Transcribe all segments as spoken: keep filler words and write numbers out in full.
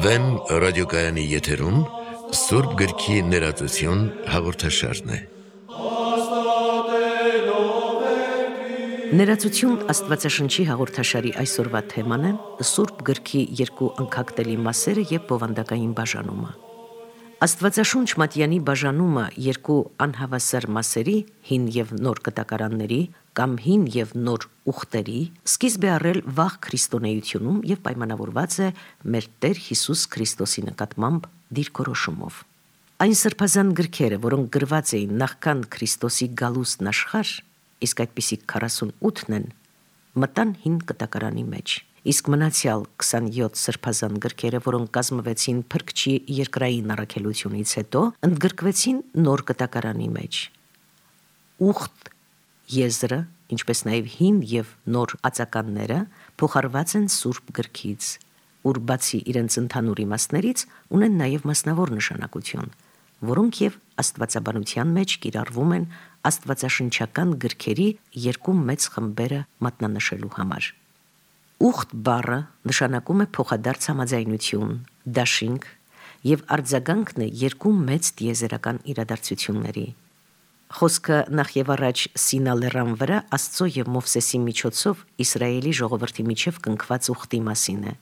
Վեմ ռադիոկայանի եթերում Սուրբ գրքի ներածություն հաղորդաշարն է։ Ներածություն Աստվածաշնչի հաղորդաշարի այսօրվա թեման է Սուրբ գրքի երկու անկախտելի մասերը եւ բովանդակային բաժանումը։ Աստվածաշունչ Մատյանի բաժանումը երկու անհավասար մասերի՝ հին եւ նոր կտակարանների կամ հին եւ նոր ուխտերի սկիզբ է առել վաղ քրիստոնեությունում եւ պայմանավորված է մեր Տեր Հիսուս Քրիստոսի նկատմամբ դիրքորոշումով։ Այն սրբազան գրքերը, որոնք գրված էին նախքան Քրիստոսի գալուստն աշխարհ, իսկ այդպիսիք քառասունութն են, մտան հին կտակարանի մեջ, իսկ մնացյալ քսանյոթ սրբազան գրքերը, որոնք կազմվեցին Փրկչի երկրային առաքելությունից հետո, ընդգրկվեցին նոր կտակարանի մեջ։ Ուխտ եզրը, ինչպես նաև հին եւ նոր ածականները փոխարված են Սուրբ գրքից, ուր բացի իրենց ընդհանուր իմաստներից ունեն նաև մասնավոր նշանակություն, որոնք եւ աստվածաբանության մեջ կիրառվում են աստվածաշնչական գրքերի երկու մեծ խմբերը մատնանշելու համար։ Ուխտ բառը նշանակում է փոխադարձ համաձայնություն, դաշինք եւ արձագանքն է երկու մեծ տիեզերական իրադարձությունների։ Խոսքը նախ եւ առաջ Սինա լեռան վրա Աստծո եւ Մովսեսի միջոցով Իսրայելի ժողովրդի միջև կնքված ուխտի մասին է։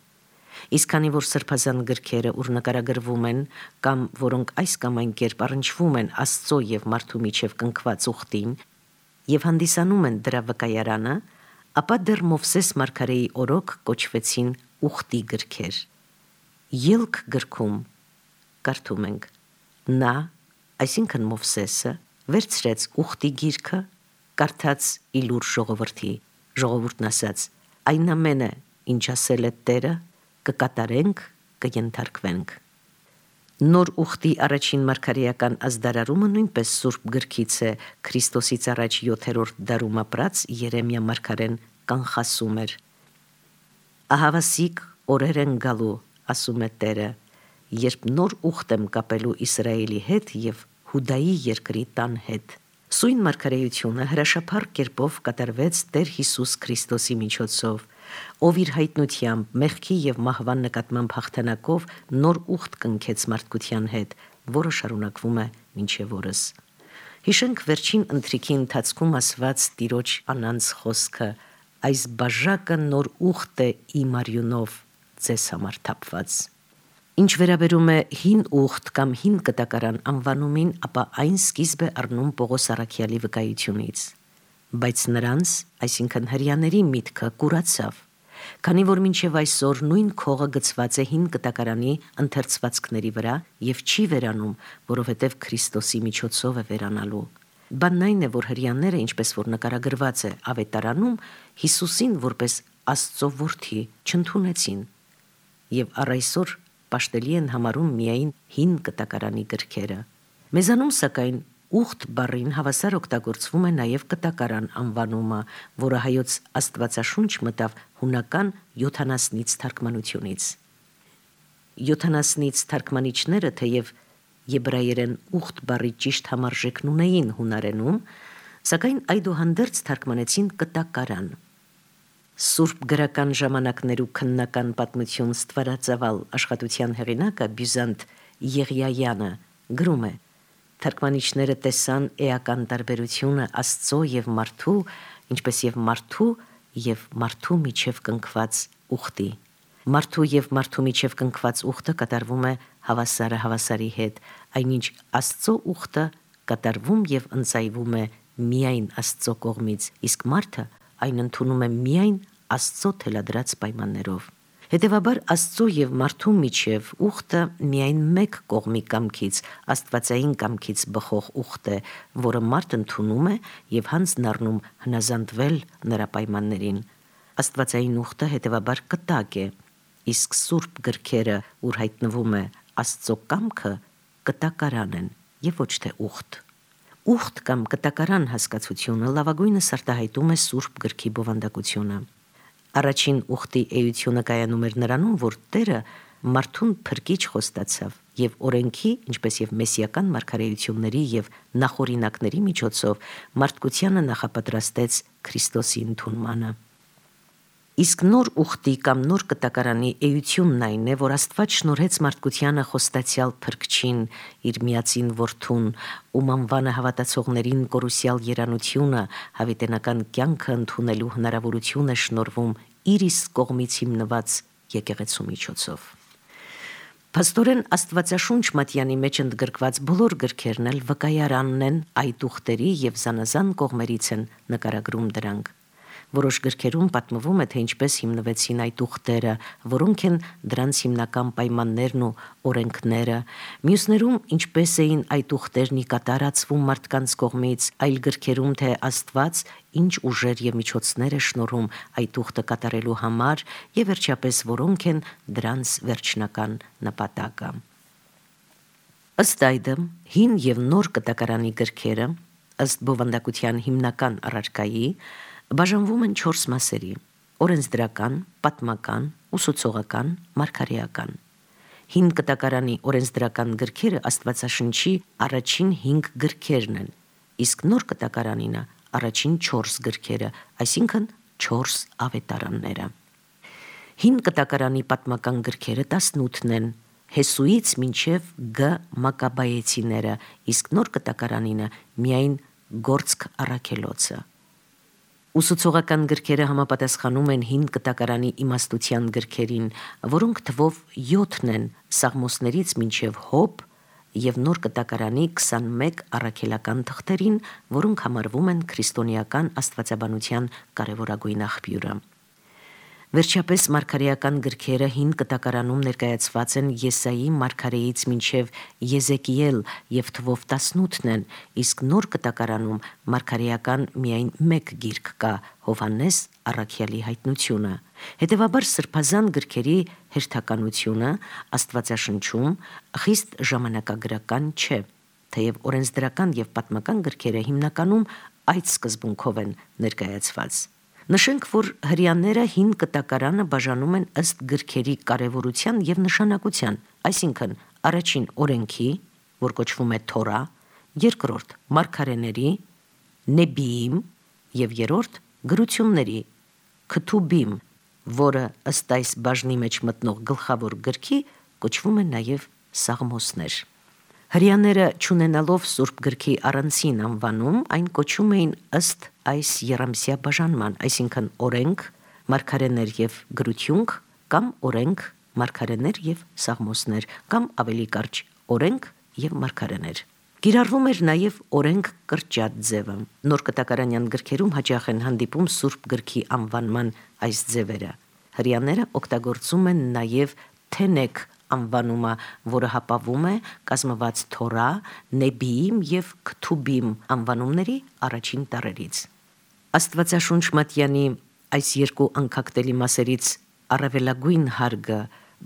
Իսկ քանի որ սրբազան գրքերը, ուր նկարագրվում են կամ որոնք այս կամ այն կերպ առնչվում են Աստծո եւ մարդու միջև կնքված ուխտին եւ հանդիսանում են դրա վկայարանը, ապա դեռ Մովսես մարգարեի օրոք կոչվեցին ուխտի գրքեր։ Ելք գրքում կարդում ենք. նա, այսինքն Մովսեսը, վերցրեց ուխտի գիրքը, կարդաց իլուր ժողովրդի, ժողովուրդն ասաց. այն ամենը, ինչ ասել է Տերը, կկատարենք, կենթարկվենք։ Նոր ուխտի առաջին մարգարեական ազդարարումը նույնպես Սուրբ գրքից է, Քրիստոսից առաջ յոթերորդ դարում ապրած Երեմիա մարգարեն կանխասում էր. Ահավասիկ օրեր են գալու, ասում է Տերը, երբ նոր ուխտ եմ կապելու Իսրայելի հետ եւ Հուդայի երկրի տան հետ։ Սույն մարգարեությունը հրաշափառ կերպով կատարվեց Տեր Հիսուս Քրիստոսի միջոցով, ով իր հայտնությամբ, մեղքի եւ մահվան նկատմամբ հաղթանակով նոր ուխտ կնքեց մարդկության հետ, որը շարունակվում է մինչև օրս։ Հիշենք վերջին ընթրիքի ընթացքում ասված Տիրոջ անանց խոսքը. այս բաժակը նոր ուխտ է իմ արյունով ձեզ համար թափված։ Ինչ վերաբերում է հին ուխտ կամ հին կտակարան անվանումին, ապա այն սկիզբ է առնում Պողոս առաքյալի վկայությունից։ Բայց նրանց, այսինքն հրեաների միտքը կուրացավ, քանի որ մինչև այսօր նույն քողը գծված է հին կտակարանի ընթերցվածքների վրա եւ չի վերանում, որովհետեւ Քրիստոսի միջոցով է վերանալու։ Բանն այն է, որ հրեաները, ինչպես որ նկարագրված է Ավետարանում, Հիսուսին որպես Աստծո որդի չընդունեցին եւ առ այսօր պաշտելի են համարում միայն հին կտակարանի գրքերը։ Մեզանում սակայն ուխտ բառին հավասար օգտագործվում է նաև կտակարան անվանումը, որը հայոց Աստվածաշունչ մտավ հունական յոթանասնից թարգմանությունից։ Յոթանասնից թարգմանիչները թեև եբրայերեն ուխտ բառի ճիշտ համարժեքն ունեին հունարենում, սակայն այդուհանդերձ թարգմանեցին կտակարան։ Սուրբ գրական ժամանակներու քննական պատմություն ստվարածավալ աշխատության հեղինակը Բյուզանտ Եղիայանը գրում է. թարգմանիչները տեսան էական տարբերությունը Աստծո եւ մարդու, ինչպես եւ մարդու եւ մարդու միջև կնքված ուխտի։ Մարդու եւ մարդու միջև կնքված ուխտը կատարվում է հավասարը հավասարի հետ, այնինչ Աստծո ուխտը կատարվում եւ ընծայվում է միայն Աստծո կողմից, իսկ մարդը այն ընդունում է միայն Աստծո թելադրած պայմաններով։ Հետևաբար Աստծո եւ մարդու միջև ուխտը միայն մեկ կողմի կամքից, աստվածային կամքից բխող ուխտ է, որը մարդ ընդունում է եւ հանձն առնում հնազանդվել նրա պայմաններին։ Աստվածային ուխտը հետևաբար կտակ է, իսկ Սուրբ գրքերը, ուր հայտնվում է Աստծո կամքը, կտակարան են եւ ոչ թե ուխտ։ Ուխտ կամ կտակարան հասկացությունը լավագույնս արտահայտում է Սուրբ գրքի բովանդակությունը։ Առաջին ուխտի էությունը կայանում էր նրանում, որ Տերը մարդուն փրկիչ խոստացավ եւ օրենքի, ինչպես եւ մեսիական մարգարեությունների եւ նախօրինակների միջոցով մարդկությանը նախապատրաստեց Քրիստոսի ընդունմանը։ Իսկ նոր ուխտի կամ նոր կտակարանի էությունն այն է, որ Աստված շնորհեց մարդկությանը խոստացյալ փրկչին, իր միածին որդուն, ում անվանը հավատացողներին կորուսյալ երանությունը, հավիտենական կյանքը ընդունելու հնարավորություն է շնորհվում իր իսկ կողմից հիմնված եկեղեցու միջոցով։ Փաստորեն Աստվածաշունչ Մատյանի մեջ ընդգրկված բոլոր գրքերն էլ վկայարանն են այդ ուխտերի եւ զանազան կողմերից են նկարագրում դրանք։ Որոշ գրքերում պատմվում է, թե ինչպես հիմնվեցին այդ ուխտերը, որոնք են դրանց հիմնական պայմաններն ու օրենքները, մյուսներում ինչպես էին այդ ուխտերն ի կատարածվում մարդկանց կողմից, այլ գրքերում, թե Աստված ինչ ուժեր եւ միջոցներ է շնորհում այդ ուխտը կատարելու համար եւ վերջապես որոնք են դրանց վերջնական նպատակը։ Ըստ այդմ, հին եւ նոր կտակարանի գրքերը, ըստ բովանդակության հիմնական առարկայի, բաժանվում են չորս մասերի՝ օրենսդրական, պատմական, ուսուցողական, մարգարեական։ Հին կտակարանի օրենսդրական գրքերը Աստվածաշնչի առաջին հինգ գրքերն են, իսկ նոր կտակարանինը առաջին չորս գրքերը, այսինքն չորս ավետարանները։ Հին կտակարանի պատմական գրքերը տասնութն են, Հեսուից մինչև Գ Մակաբայեցիները, իսկ նոր կտակարանինը միայն Գործք առաքելոցը։ Ուսուցողական գրքերը համապատասխանում են հին կտակարանի իմաստության գրքերին, որոնք թվով յոթն են Սաղմոսներից մինչև Հոբ եւ նոր կտակարանի քսանմեկ առաքելական թղթերին, որոնք համարվում են քրիստոնեական աստվածաբանության կարևորագույն աղբյուրը։ Վերջապես մարգարեական գրքերը հին կտակարանում ներկայացված են Եսայի մարգարեից մինչև Եզեկիել եւ թվով տասնութն են, իսկ նոր կտակարանում մարգարեական միայն մեկ գիրք կա՝ Հովհաննես առաքյալի հայտնությունը։ Հետևաբար սրբազան գրքերի հերթականությունը Աստվածաշնչում խիստ ժամանակագրական չէ, թեև օրենսդրական եւ պատմական գրքերը հիմնականում այդ սկզբունքով են ներկայացված։ Նշենք, որ հրեաները հին կտակարանը բաժանում են ըստ գրքերի կարևորության եւ նշանակության, այսինքն առաջին օրենքի, որ կոչվում է Թորա, երկրորդ մարգարեների, Նեբիիմ եւ երրորդ գրությունների, Քթուբիմ, որը ըստ այս բաժնի մեջ մտնող գլխավոր գրքի կոչվում է նաեւ Սաղմոսներ։ Հրեաները, չունենալով Սուրբ գրքի առանցին անվանում, այն կոչում էին ըստ այս եռամսյա բաժանման, այսինքն օրենք, մարգարեներ եւ գրություն, կամ օրենք, մարգարեներ եւ Սաղմոսներ, կամ ավելի կարճ օրենք եւ մարգարեներ։ Կիրառվում էր նաեւ օրենք կրճատ ձևը։ Նոր կտակարանյան գրքերում հաճախ են հանդիպում Սուրբ գրքի անվանման այս ձևերը։ Հրեաները օգտագործում են նաեւ թենեք անվանումը, որը հապավում է կազմված Թորա, Նեբիիմ եւ Քթուբիմ անվանումների առաջին տառերից։ Աստվածաշունչ Մատյանի այս երկու անկախտելի մասերից առավելագույն հարգը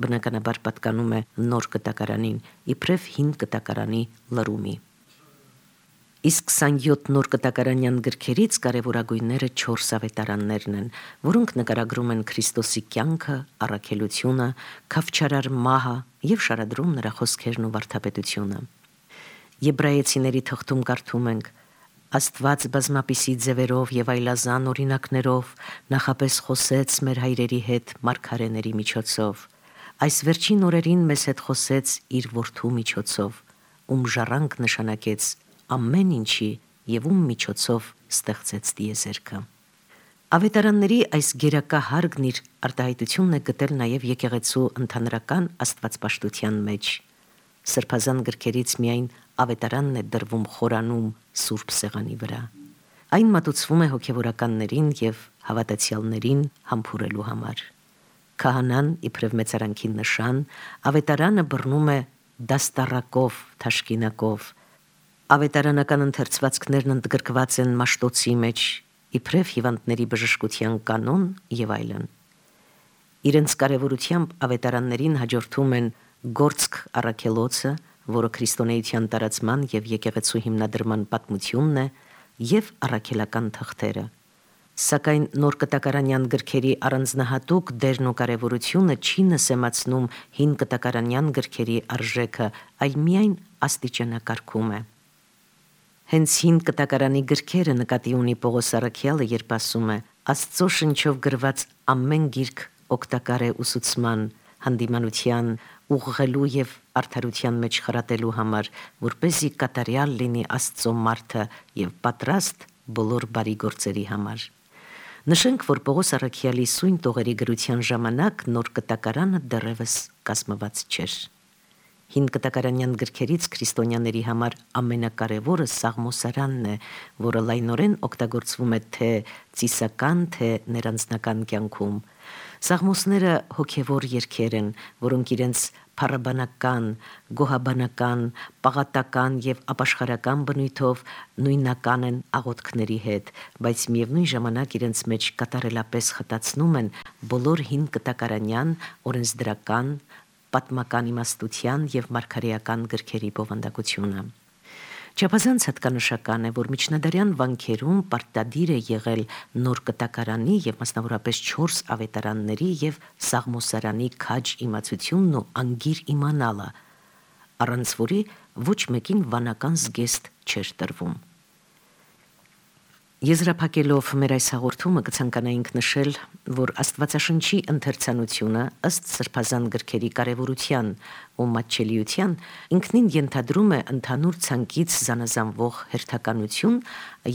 բնականաբար պատկանում է նոր կտակարանին, իբրև հին կտակարանի լրումի։ Իսկ քսանյոթ նոր կտակարանյան գրքերից կարևորագույնները չորս ավետարաններն են, որոնք նկարագրում են Քրիստոսի կյանքը, առաքելությունը, քավչարար մահը եւ շարադրում նրա խոսքերն ու վարդապետությունը։ Եբրայեցիների թղթում կարդում ենք. Աստված բազմապիսի ձևերով եւ այլազան օրինակներով նախապես խոսեց մեր հայրերի հետ մարգարեների միջոցով։ Այս վերջին օրերին մեզ հետ խոսեց իր որդու միջոցով, ում ժառանգ նշանակեց ամեն ինչի եւ ում միջոցով ստեղծեց տիեզերքը։ Ավետարանների այս գերակա հարգն իր արտահայտությունն է գտել նաեւ եկեղեցու ընդհանրական աստվածպաշտության մեջ։ Սրբազան գրքերից միայն ավետարանն է դրվում խորանում Սուրբ Սեղանի վրա։ Այն մատուցվում է հոգևորականներին եւ հավատացյալներին համբուրելու համար։ Քահանան իբրև մեծարանքի նշան, ավետարանը բռնում է դաստառակով, թաշկինակով։ Ավետարանական ընթերցվածքներն ընդգրկված են Մաշտոցի մեջ, իբրև հիվանդների բժշկության կանոն եւ այլն։ Իրենց կարևորությամբ ավետարաններին հաջորդում են Գործք առաքելոցը, որը քրիստոնեության տարածման եւ եկեղեցու հիմնադրման պատմությունն է, եւ առաքելական թղթերը։ Սակայն նոր կտակարանյան գրքերի առանձնահատուկ դերն ու կարևորությունը չի նսեմացնում հին կտակարանյան գրքերի արժեքը, այլ միայն աստիճանակարգում է։ Հենց հին կտակարանի գրքերը նկատի ունի Պողոս առաքյալը, երբ ասում է. «Աստծո շնչով գրված ամեն գիրք օգտակար է ուսուցման, հանդիմանության, ուղղելու եւ արդարության մեջ խրատելու համար, որպեսզի կատարյալ լինի Աստծո մարդը եւ պատրաստ բոլոր բարի գործերի համար»։ Նշենք, որ Պողոս առաքյալի սույն տողերի գրության ժամանակ նոր կտակարանը դեռևս կազմված չէր։ Հին կտակարանյան գրքերից քրիստոնյաների համար ամենակարևորը Սաղմոսարանն է, որը լայնորեն օգտագործվում է թե ծիսական, թե ներանձնական կյանքում։ Սաղմոսները հոգևոր երգեր են, որոնք իրենց փառաբանական, գոհաբանական, պաղատական եւ ապաշխարական բնույթով նույնական են աղոթքների հետ, բայց միևնույն ժամանակ իրենց մեջ կատարելապես խտացնում են բոլոր հին կտակարանյան, օրենսդրական, պատմական իմաստության եւ մարգարեական գրքերի բովանդակությունը։ Չափազանց հատկանշական է, որ միջնադարյան վանքերում պարտադիր է եղել նոր կտակարանի եւ մասնավորապես չորս ավետարանների եւ Սաղմոսարանի քաջ իմացությունն ու անգիր իմանալը, առանց որի ոչ մեկին վանական զգեստ չէր տրվում։ Եզրափակելով մեր այս հաղորդումը կցանկանայինք նշել, որ Աստվածաշնչի ընթերցանությունը ըստ սրբազան գրքերի կարևորության ու մատչելիության ինքնին ենթադրում է ընդհանուր ցանկից զանազանվող հերթականություն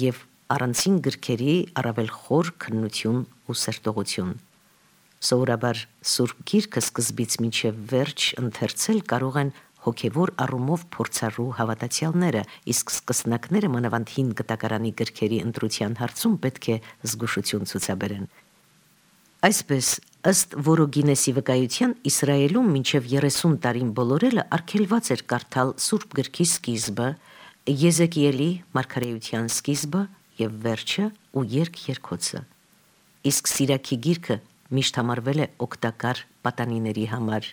եւ առանցին գրքերի առավել խոր քննություն ու սերտողություն։ Սովորաբար Սուրբ Գիրքը սկզբից մինչև վերջ ընթերցել կարող են հոգևոր առումով փորձառու հավատացյալները, իսկ սկսնակները մանավանդ հին կտակարանի գրքերի ընտրության հարցում պետք է զգուշություն ցուցաբերեն։ Այսպես, ըստ Որոգինեսի վկայության, Իսրայելում մինչև երեսուն տարին բոլորելը արգելված էր կարդալ Սուրբ Գրքի սկիզբը, Եզեկիելի մարգարեության սկիզբը եւ վերջը ու երգ-երգոցը։ Իսկ Սիրաքի գիրքը միշտ համարվել է օգտակար պատանիների համար։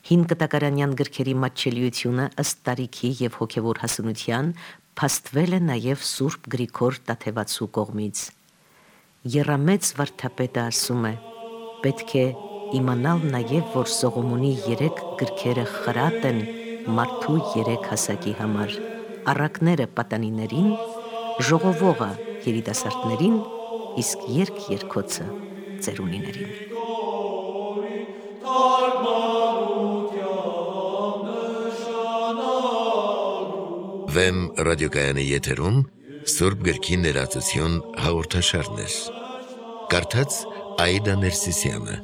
Հին կտակարանյան գրքերի մատչելիությունը ըստ տարիքի եւ հոգևոր հասունության փաստվել է նաեւ Սուրբ Գրիգոր Տաթևացու կողմից։ Եռամեծ վարդապետը ասում է. պետք է իմանալ նաեւ, որ Սողոմոնի երեք գրքերը խրատ են մարդու երեք հասակի համար. առակները պատանիներին, ժողովողը երիտասարդներին, իսկ երգ-երգոցը ծերունիներին։ Վեմ ռադիոկայանի եթերում Սուրբ Գրքի ներածություն հաղորդաշարներ։ Կարդաց Աիդա Ներսիսյանը։